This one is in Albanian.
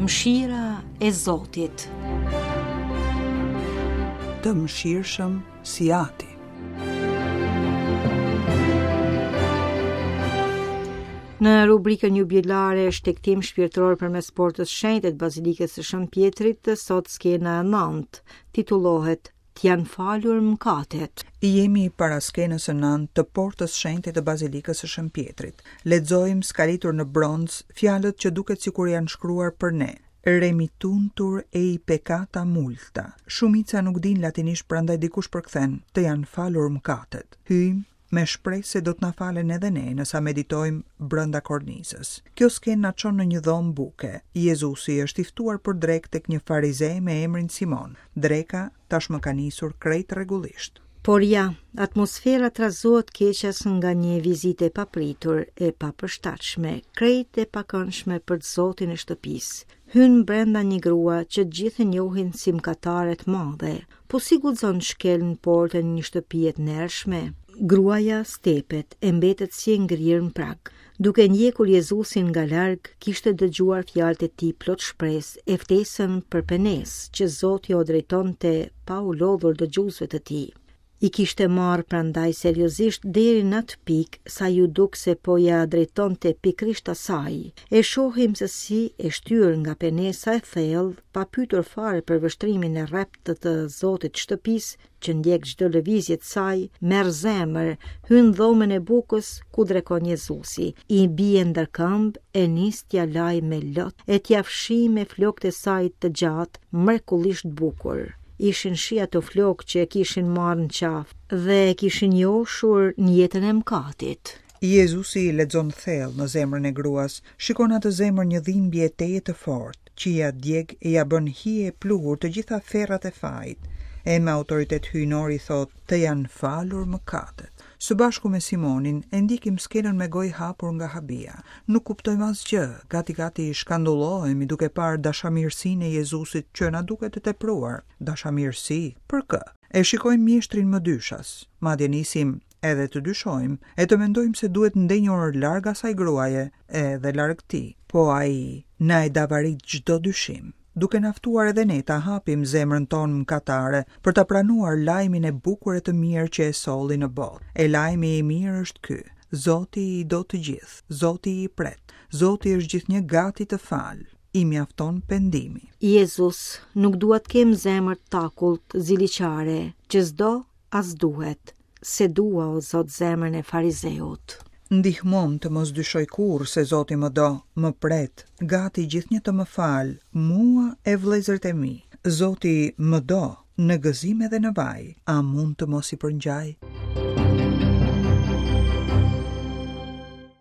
Mëshira e Zotit. Të mëshirshëm si ati. Në rubrikën jubilare Shtegtim shpirtëror përmes portës shenjte të Bazilikës së Shën Pjetrit, sot skena e 9 titullohet Të janë falur mëkatet. Jemi para skenës së nëntë të portës shenjte të Bazilikës së Shën Pjetrit. Lexojmë skalitur në bronz fjalët që duket sikur janë shkruar për ne. Remittuntur ei peccata multa. Shumica nuk dinë latinisht prandaj dikush përkthen, të janë falur mëkatet. Hyjmë me shpresë se do të na falen edhe ne në sa meditojmë brenda kornizës. Kjo skenë na çon në një dhomë buke. Jezusi është i ftuar për drekë tek një farize me emrin Simon. Dreka tashmë ka nisur krejt rregullisht. Por ja, atmosfera trazohet keqas nga një vizitë e papritur, e papërshtatshme, krejt e pakëndshme për të zotin e shtëpisë. Hyn brenda një grua që të gjithë e njohin si mëkatare të madhe, Po si guxon të shkelë në portën e një shtëpie të ndershme? Gruaja stepet e mbetet si e ngrirë në prag. Duke ndjekur Jezusin nga larg, kishte dëgjuar fjalët e tij plot shpresë e ftesën për penesë që Zoti ua drejtonte pa u lodhur dëgjuesve të tij. I kishte marrë prandaj seriozisht deri në atë pikë sa iu duk se po ia drejtonte pikërisht asaj. E shohim se si e shtyrë nga penesa e thellë, pa pyetur fare për vështrimin e rreptë të zotit të shtëpisë, që ndjek çdo lëvizje të saj, merr zemër, hyn në dhomën e bukës ku drekon Jezusi, i bie ndër këmbë e nis t'ia lajë me lot e t'ia fshijë me flokët e saj të gjatë, mrekullisht bukur. Ishin shi ato flokë që e kishin marrë në qafë dhe e kishin joshur në jetën e mëkatit. Jezusi lexon thellë në zemrën e gruas, shikon atë zemër një dhimbje tejet të fortë, që ia djeg e ia bën hi e pluhur të gjitha ferrat e fajit, e me autoritet hyjnor i thotë, Të janë falur mëkatet. Së bashku me Simonin, e ndjekim skenën me gojë hapur nga habia. Nuk kuptojmë asgjë, gati gati shkandullohemi duke parë dashamirësinë e Jezusit që na duket e tepruar. Dashamirësi? Për kë? E shikojmë mjeshtrin mëdyshas, madje nisim edhe të dyshojmë, e të mendojmë se duhet ndenjur larg asaj gruaje, edhe larg tij. Po ai na e davarit çdo dyshim, duke na ftuar edhe ne ta hapim zemrën tonë mëkatare për ta pranuar lajmin e bukur e të mirë që e solli në botë. E lajmi i mirë është ky, Zoti i do të gjithë, Zoti i pret, Zoti është gjithnjë gati të falë, i mjafton pendimi. Jezus, nuk dua të kem zemër të takullt, ziliqare, që s'do as duhet, s'e dua o Zot zemrën e farizeut. Ndihmomë të mos dyshoj kurrë se Zoti më do, më pret, gati gjithnjë të më falë, mua e vëllezërit e mi. Zoti më do, në gëzim edhe në vaj, a mund të mos i përngjaj?